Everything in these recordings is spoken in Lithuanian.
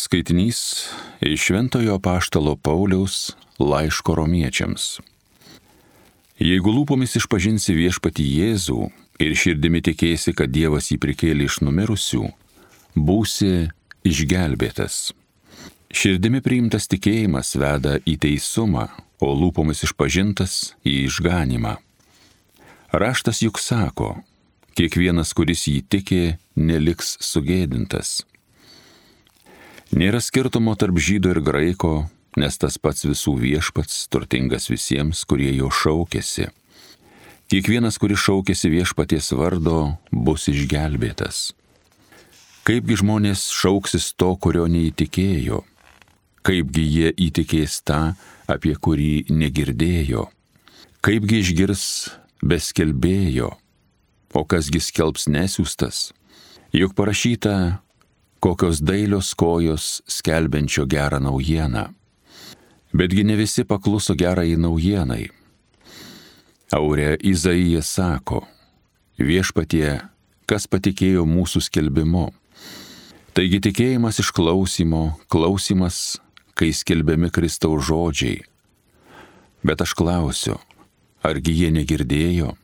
Skaitinys iš Šventojo apaštalo Pauliaus laiško romiečiams. Jeigu lūpomis išpažinsi viešpatį Jėzų ir širdimi tikėsi, kad Dievas jį prikėlė iš numirusių, būsi išgelbėtas. Širdimi priimtas tikėjimas veda į teisumą, o lūpomis išpažintas į išganymą. Raštas juk sako, kiekvienas, kuris jį tiki, neliks sugėdintas. Nėra skirtumo tarp žydo ir graiko, nes tas pats visų viešpats, turtingas visiems, kurie jo šaukiasi. Kiekvienas, kuris šaukiasi viešpaties vardo, bus išgelbėtas. Kaipgi žmonės šauksis to, kurio neįtikėjo? Kaipgi jie įtikės tą, apie kurį negirdėjo? Kaipgi išgirs be skelbėjo? O kasgi skelbs nesiųstas? Juk parašyta, kokios dailios kojos skelbiančio gerą naujieną. Betgi ne visi pakluso gerai naujienai. Aure Izaijas sako, viešpatie, kas patikėjo mūsų skelbimu. Taigi tikėjimas iš klausymo, klausymas, kai skelbiami Kristaus žodžiai. Bet aš klausiu, argi jie negirdėjo?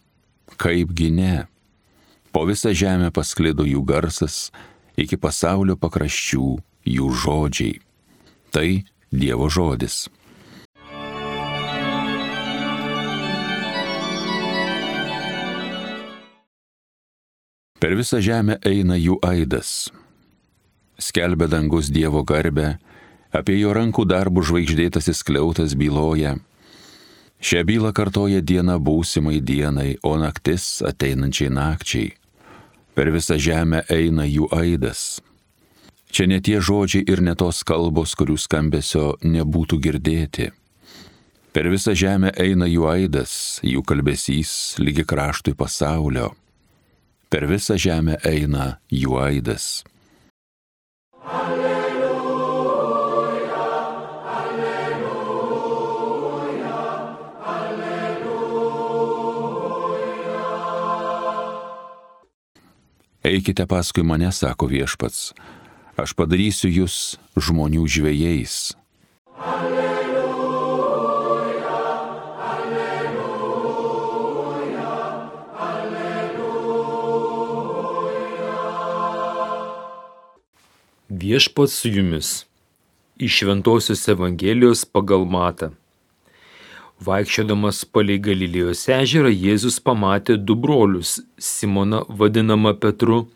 Kaipgi ne? Po visą žemę pasklido jų garsas, iki pasaulio pakraščių jų žodžiai. Tai Dievo žodis. Per visą žemę eina jų aidas. Skelbia dangus Dievo garbę, apie jo rankų darbų žvaigždėtasis skliautas byloja. Šią bylą kartoja diena būsimai dienai, o naktis ateinančiai nakčiai. Per visą žemę eina jų aidas. Čia ne tie žodžiai ir ne tos kalbos, kurių skambesio nebūtų girdėti. Per visą žemę eina jų aidas, jų kalbesys lygi kraštui pasaulio. Per visą žemę eina jų aidas. Eikite paskui mane, sako viešpats, aš padarysiu jūs žmonių žvejais. Alleluja, alleluja, alleluja. Viešpats su jumis. Iš Šventosios Evangelijos pagal Matą. Vaikščiodamas palei Galilėjos ežerą, Jėzus pamatė du brolius, Simoną vadinamą Petru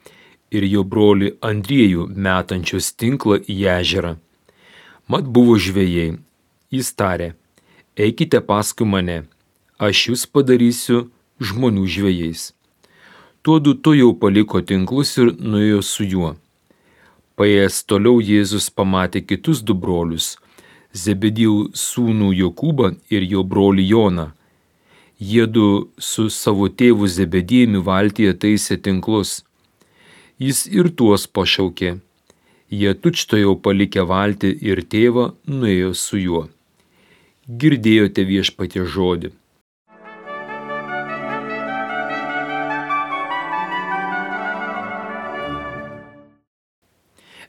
ir jo brolį Andriejų metančius tinklą į ežerą. Mat buvo žvejai. Jis tarė, eikite paskui mane, aš jūs padarysiu žmonių žvejais. Tuodu tuojau paliko tinklus ir nuėjo su juo. Paėjęs toliau Jėzus pamatė kitus du brolius, Zebedijų sūnų Jokūbą ir jo brolį Joną. Jiedu su savo tėvu Zebedijumi valtyje taisė tinklus. Jis ir tuos pašaukė. Jie tučtuojau palikę valtį ir tėvą nuėjo su juo. Girdėjote viešpaties žodį.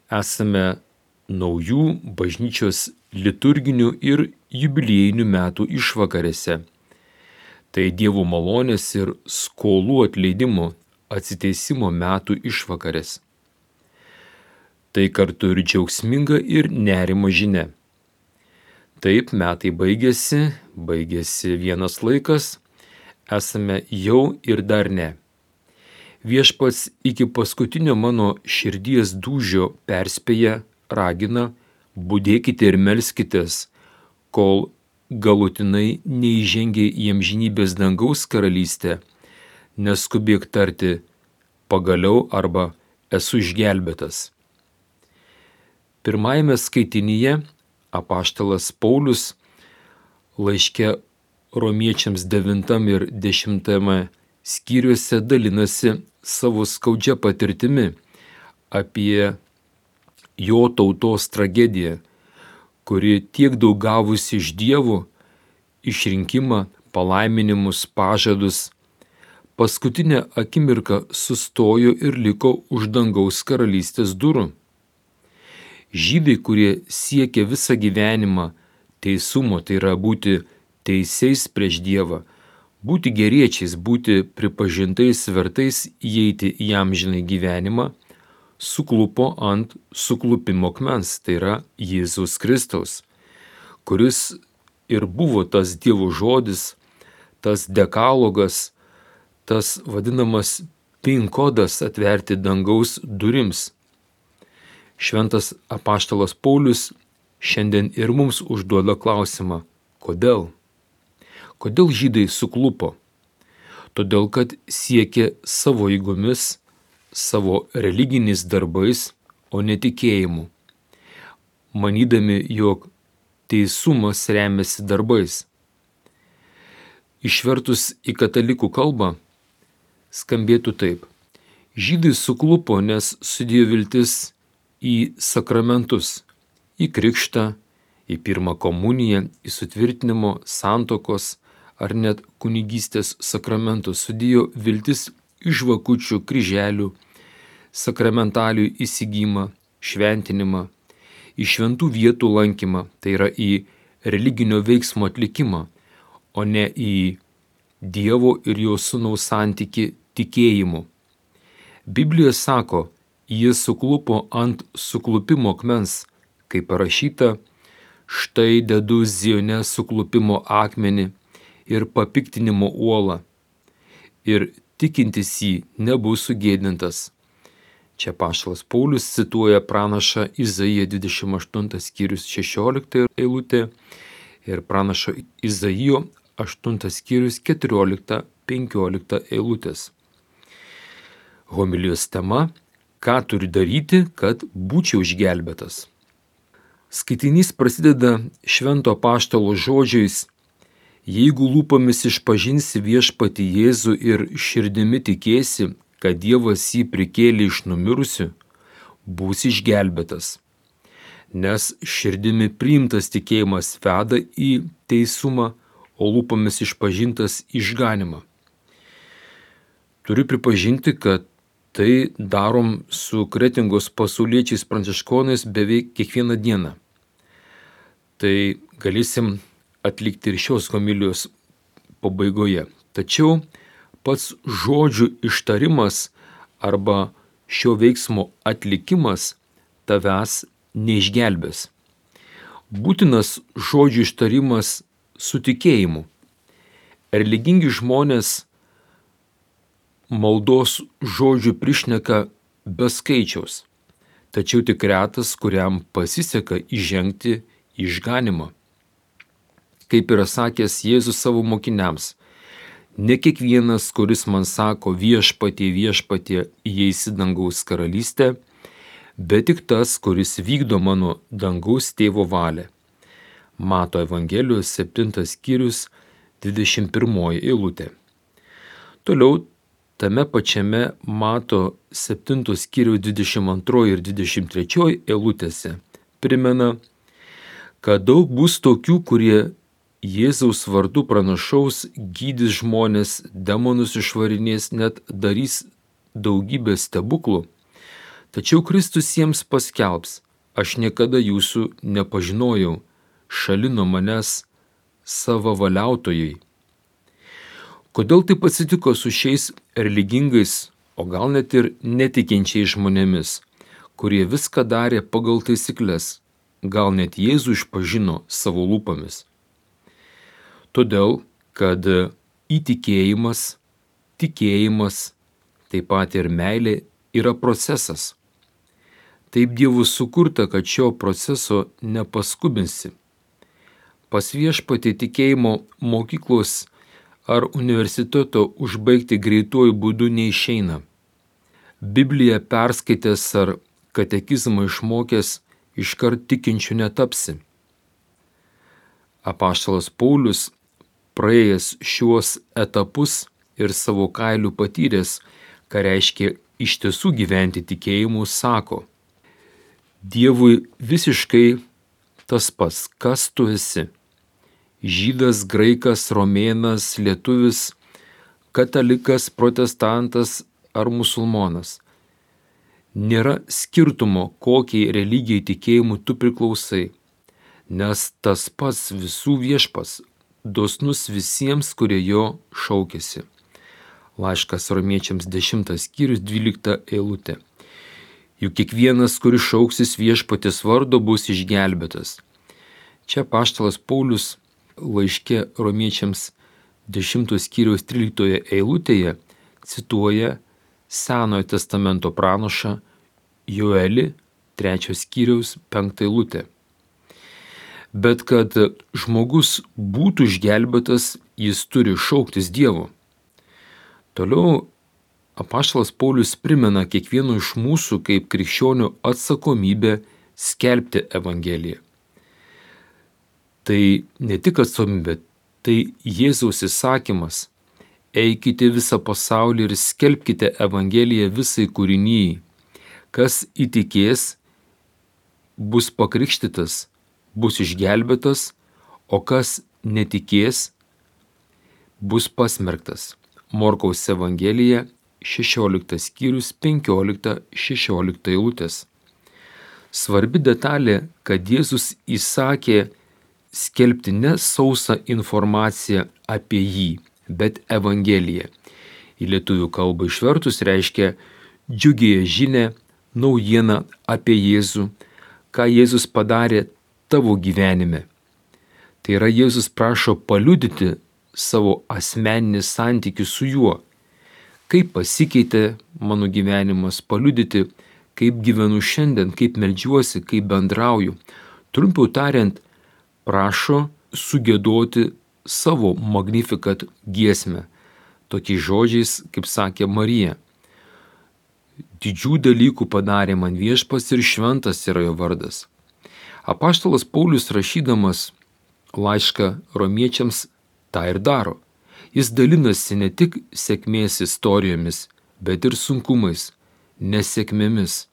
Esame naujų bažnyčios liturginių ir jubiliejinių metų išvakarėse. Tai Dievo malonės ir skolų atleidimo, atsiteisimo metų išvakarės. Tai kartu ir džiaugsminga ir nerimo žinia. Taip metai baigėsi vienas laikas, esame jau ir dar ne. Viešpats iki paskutinio mano širdies dūžio perspėja, ragina, budėkite ir melskitės, kol galutinai neįžengia į amžinybės dangaus karalystę, neskubėk tarti pagaliau arba esu išgelbėtas. Pirmajame skaitinyje apaštalas Paulius laiške romiečiams 9 ir 10 skyriuose dalinasi savo skaudžia patirtimi apie jo tautos tragediją, kuri tiek daug gavusi iš Dievo, išrinkimą, palaiminimus, pažadus, paskutinę akimirką sustojo ir liko už dangaus karalystės durų. Žydai, kurie siekia visą gyvenimą teisumo, tai yra būti teisiais prieš Dievą, būti geriečiais, būti pripažintais vertais įeiti į amžinai gyvenimą, suklupo ant suklupimo akmens, tai yra Jėzaus Kristaus, kuris ir buvo tas Dievo žodis, tas dekalogas, tas vadinamas PIN kodas atverti dangaus durims. Šventas apaštalas Paulius šiandien ir mums užduoda klausimą, kodėl? Kodėl žydai suklupo? Todėl, kad siekė savo jėgomis, savo religiniais darbais, o ne tikėjimu, manydami, jog teisumas remiasi darbais. Išvertus į katalikų kalbą, skambėtų taip. Žydai suklupo, nes sudėjo viltis į sakramentus, į krikštą, į pirmą komuniją, į sutvirtinimo, santuokos ar net kunigystės sakramentus, sudėjo viltis į žvakučių, kryželių, sakramentalijų įsigymą, šventinimą, į šventų vietų lankymą, tai yra į religinio veiksmo atlikimą, o ne į Dievo ir jo sūnaus santykį tikėjimu. Biblija sako, jie suklupo ant suklupimo akmens, kaip parašyta, štai dedu Zione suklupimo akmenį ir papiktinimo uolą, ir tikintis jį nebus sugėdintas. Čia apaštalas Paulius cituoja pranašą Izaiją 28 skyrius 16 eilutė ir pranašo Izaijo 8 skyrius 14-15 eilutės. Homilijos tema – ką turi daryti, kad būčiau išgelbėtas. Skaitinys prasideda švento apaštalo žodžiais: jeigu lūpomis išpažinsi viešpatį Jėzų ir širdimi tikėsi, kad Dievas jį prikėlė iš numirusių, būsi išgelbėtas. Nes širdimi priimtas tikėjimas veda į teisumą, o lūpomis išpažintas išganimą. Turiu pripažinti, kad tai darom su Kretingos pasauliečiais pranciškonais beveik kiekvieną dieną. Tai galėsim atlikti ir šios homilijos pabaigoje. Tačiau pats žodžių ištarimas arba šio veiksmo atlikimas tavęs neišgelbės. Būtinas žodžių ištarimas su tikėjimu. Religingi žmonės maldos žodžių prišneka be skaičiaus, tačiau tik retas, kuriam pasiseka įžengti į išganimą. Kaip yra sakęs Jėzus savo mokiniams, ne kiekvienas, kuris man sako viešpatie, viešpatie, įeis į dangaus karalystę, bet tik tas, kuris vykdo mano dangaus tėvo valią. Mato Evangelijos 7 skyrius 21 eilutė. Toliau tame pačiame Mato 7 skyriaus 22 ir 23 eilutėse primena, kad daug bus tokių, kurie Jėzaus vardu pranašaus, gydys žmonės, demonus išvarinės, net darys daugybę stebuklų. Tačiau Kristus jiems paskelbs: aš niekada jūsų nepažinojau, šalin nuo manęs savavaliautojai. Kodėl taip atsitiko su šiais religingais, o gal net ir netikinčiais žmonėmis, kurie viską darė pagal taisyklės, gal net Jėzų išpažino savo lūpomis? Todėl, kad įtikėjimas, tikėjimas, taip pat ir meilė yra procesas. Taip Dievu sukurta, kad šio proceso nepaskubinsi. Pas viešpatį tikėjimo mokyklos ar universiteto užbaigti greituoju būdu neišeina. Bibliją perskaitęs ar katekizmą išmokęs iškart tikinčiu netapsi. Apaštalas Paulius, praėjęs šiuos etapus ir savo kailiu patyręs, ką reiškia iš tiesų gyventi tikėjimu, sako: Dievui visiškai tas pats, kas tu esi. Žydas, graikas, romėnas, lietuvis, katalikas, protestantas ar musulmonas. Nėra skirtumo, kokiai religijai tikėjimu tu priklausai, nes tas pats visų viešpas, dosnus visiems, kurie jo šaukėsi. Laiškas Romiečiams 10 skyrius 12 eilutė. Juk kiekvienas, kuris šauksis viešpaties vardo, bus išgelbėtas. Čia apaštalas Paulius laiške Romiečiams 10 skyriaus 13 eilutėje cituoja Senojo testamento pranašą Joelį 3 skyriaus 5 eilutę. Bet kad žmogus būtų išgelbėtas, jis turi šauktis Dievo. Toliau apaštalas Paulius primena kiekvieno iš mūsų kaip krikščionių atsakomybę skelbti Evangeliją. Tai ne tik atsakomybė, tai Jėzaus įsakymas. Eikite visą pasaulį ir skelbkite Evangeliją visai kūrinijai. Kas įtikės, bus pakrikštytas, bus išgelbėtas, o kas netikės, bus pasmerktas. Morkaus Evangelija 16 skyrius 15-16 eilutės. Svarbi detalė, kad Jėzus įsakė skelbti ne sausą informaciją apie jį, bet Evangeliją. Į lietuvių kalbą išvertus reiškia džiugiąją žinią, naujieną apie Jėzų, ką Jėzus padarė tavo gyvenime. Tai yra, Jėzus prašo paliudyti savo asmeninį santykį su juo. Kaip pasikeitė mano gyvenimas, paliudyti, kaip gyvenu šiandien, kaip meldžiuosi, kaip bendrauju. Trumpiau tariant, prašo sugėdoti savo Magnificat giesmę, tokiais žodžiais, kaip sakė Marija. Didžių dalykų padarė man viešpats ir šventas yra jo vardas. Apaštalas Paulius rašydamas laišką Romiečiams tą ir daro. Jis dalinasi ne tik sėkmės istorijomis, bet ir sunkumais, nesėkmėmis.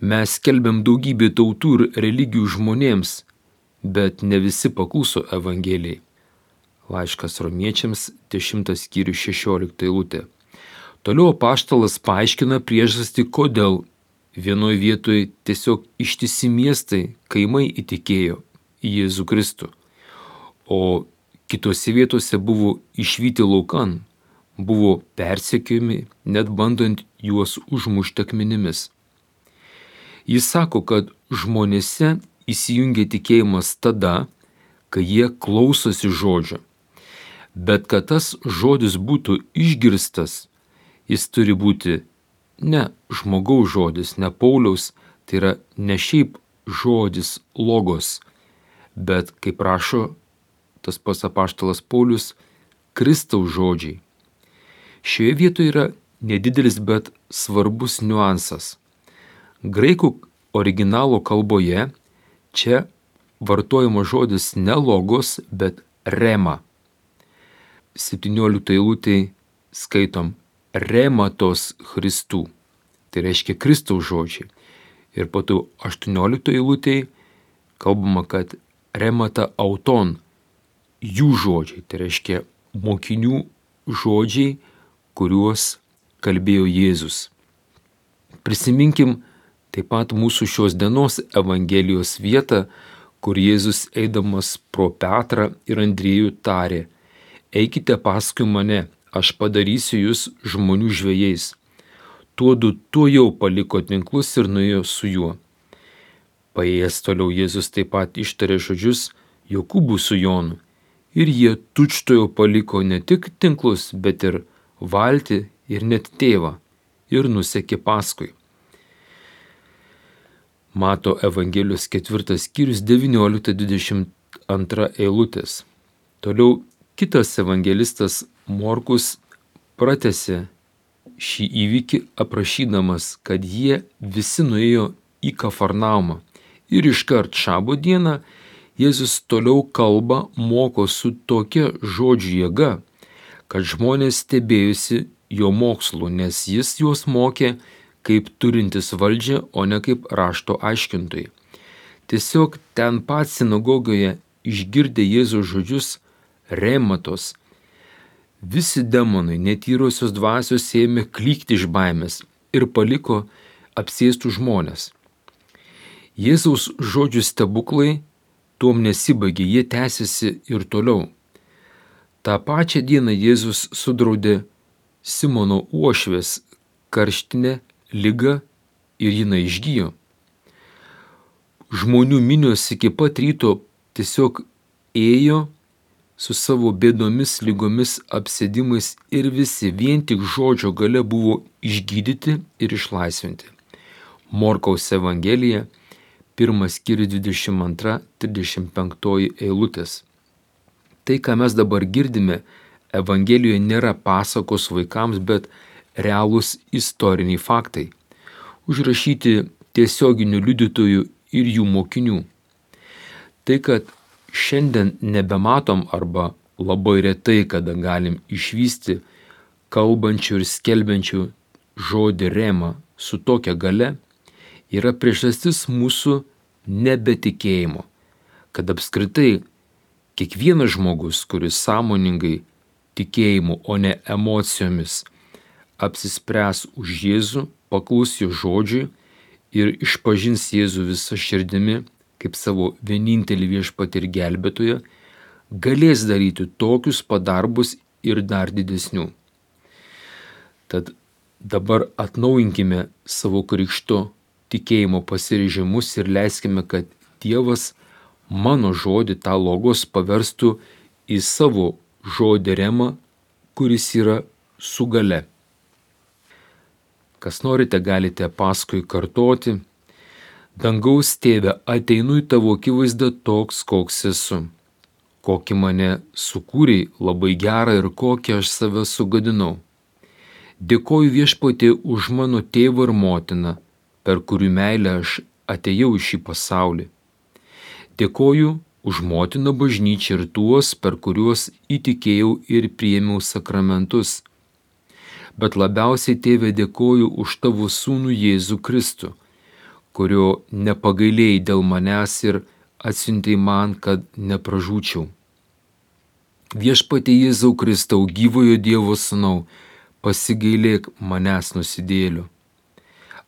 Mes skelbiam daugybę tautų ir religijų žmonėms, bet ne visi pakluso Evangelijai. Laiškas Romiečiams 10 skyrius 16 eilutė. Toliau apaštalas paaiškina priežastį, kodėl vienoje vietoje tiesiog ištisi miestai, kaimai įtikėjo į Jėzų Kristų, o kitose vietose buvo išvyti laukan, buvo persekiojami, net bandant juos užmušti akmenimis. Jis sako, kad žmonėse įsijungia tikėjimas tada, kai jie klausosi žodžio. Bet kad tas žodis būtų išgirstas, jis turi būti ne žmogaus žodis, ne Pauliaus, tai yra ne šiaip žodis logos, bet, kaip rašo tas pats apaštalas Paulius, Kristaus žodžiai. Šioje vietoje yra nedidelis, bet svarbus niuansas. Graikų originalo kalboje čia vartojama žodis ne logos, bet rema. 17 eilutėje skaitom rematos Christų. Tai reiškia Kristaus žodžiai. Ir po to 18 eilutėje kalbama, kad remata auton, jų žodžiai. Tai reiškia mokinių žodžiai, kuriuos kalbėjo Jėzus. Prisiminkim taip pat mūsų šios dienos Evangelijos vietą, kur Jėzus eidamas pro Petrą ir Andriejų tarė: eikite paskui mane, aš padarysiu jūs žmonių žvejais. Tuodu tuojau paliko tinklus ir nuėjo su juo. Paėjęs toliau Jėzus taip pat ištarė žodžius Jokūbui su Jonu. Ir jie tučtuojau paliko ne tik tinklus, bet ir valtį ir net tėvą ir nusekė paskui. Mato Evangelijos 4 skyrius 19-22 eilutės. Toliau kitas evangelistas Morkus pratęsė šį įvykį aprašydamas, kad jie visi nuėjo į Kafarnaumą ir iškart šabo dieną Jėzus toliau kalba, moko su tokia žodžių jėga, kad žmonės stebėjusi jo mokslu, nes jis juos mokė kaip turintis valdžią, o ne kaip rašto aiškintojai. Tiesiog ten pat sinagogoje išgirdę Jėzaus žodžius rematos, visi demonai, netyrosios dvasios ėmė klykti iš baimės, ir paliko apsėstų žmonės. Jėzaus žodžių stebuklai tuom nesibaigė, jie tęsiasi ir toliau. Ta pačią dieną Jėzus sudraudė Simono uošvės karštinę ligą ir jinai išgijo. Žmonių minios iki pat ryto tiesiog ėjo su savo bėdomis, lygomis, apsėdimais ir visi vien tik žodžio gale buvo išgydyti ir išlaisvinti. Morkaus Evangelija, 1 skyrius 22-35 eilutės. Tai, ką mes dabar girdime, Evangelijoje nėra pasakos vaikams, bet realūs istoriniai faktai, užrašyti tiesioginių liudytojų ir jų mokinių. Tai, kad šiandien nebematom arba labai retai, kada galim išvysti kalbančių ir skelbiančių žodį rema su tokia gale, yra priežastis mūsų nebetikėjimo, kad apskritai kiekvienas žmogus, kuris sąmoningai tikėjimu, o ne emocijomis, apsispręs už Jėzų, paklus jo žodžiui ir išpažins Jėzų visą širdimi kaip savo vienintelį viešpatį ir gelbėtoją, galės daryti tokius padarbus ir dar didesnių. Tad dabar atnaujinkime savo krikšto tikėjimo pasiryžimus ir leiskime, kad Dievas mano žodį, tą logos, paverstų į savo žodį remą, kuris yra su gale. Kas norite, galite paskui kartoti: Dangaus Tėve, ateinu į tavo akivaizdą toks, koks esu. Kokį mane sukūrei labai gerą ir kokį aš save sugadinau. Dėkoju Viešpatie už mano tėvą ir motiną, per kurių meilę aš atėjau į šį pasaulį. Dėkoju už motiną bažnyčią ir tuos, per kuriuos įtikėjau ir priėmiau sakramentus. Bet labiausiai, Tėve, dėkoju už tavo sūnų Jėzų Kristų, kurio nepagailėjai dėl manęs ir atsiuntei man, kad nepražūčiau. Viešpatie Jėzau Kristau, gyvojo Dievo sūnau, pasigailėk manęs nusidėlių.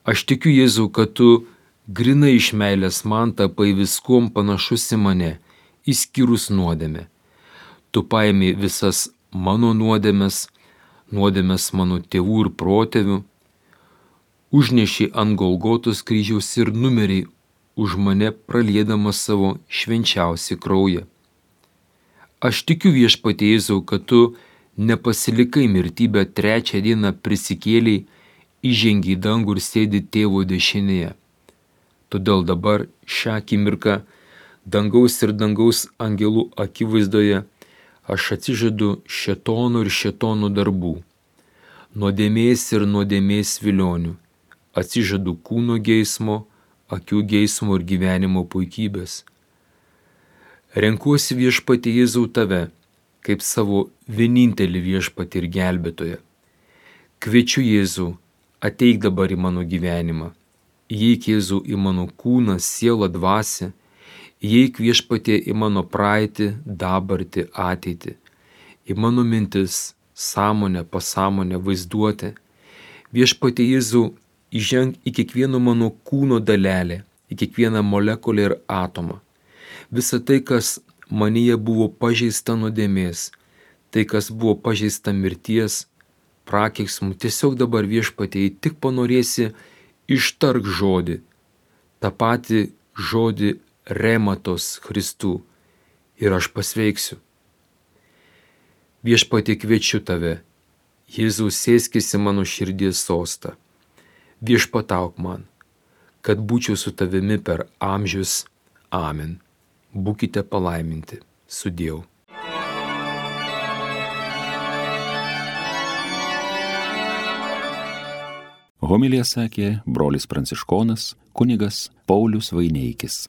Aš tikiu, Jėzau, kad tu grinai iš meilės man tapai viskuom panašus į mane, išskyrus nuodėmę. Tu paėmei visas mano nuodėmes mano tėvų ir protėvių, užneši ant Golgotos kryžiaus ir numeriai už mane praliedamas savo švenčiausią kraują. Aš tikiu, Viešpatie Jėzau, kad tu nepasilikai mirtybę, trečią dieną prisikėliai, įžengi į dangų ir sėdi tėvo dešinėje. Todėl dabar šią akimirką dangaus ir dangaus angelų akivaizdoje aš atsižadu šėtonų ir šėtonų darbų, nuodėmės ir nuodėmės vilionių, atsižadu kūno geismo, akių geismo ir gyvenimo puikybės. Renkuosi, Viešpatie Jėzau, tave, kaip savo vienintelį viešpatį ir gelbėtoją. Kviečiu, Jėzau, ateik dabar į mano gyvenimą. Įeik, Jėzau, į mano kūną, sielą, dvasią. Įeik, Viešpatie, į mano praeitį, dabartį, ateitį. Į mano mintis, sąmonę, pasąmonę, vaizduotę. Viešpatie Jėzau, įženk į kiekvieno mano kūno dalelę, į kiekvieną molekulę ir atomą. Visa tai, kas manyje buvo pažeista nuodėmės, tai, kas buvo pažeista mirties, prakeiksmų, tiesiog dabar, Viešpatie, tik panorėsi, ištark žodį, tą patį žodį rematos Kristų, ir aš pasveiksiu. Viešpatie, kviečiu tave, Jėzau, sėskis į mano širdies sostą. Viešpatauk man, kad būčiau su tavimi per amžius. Amen. Būkite palaiminti. Sudieu. Homiliją sakė brolis pranciškonas kunigas Paulius Vaineikis.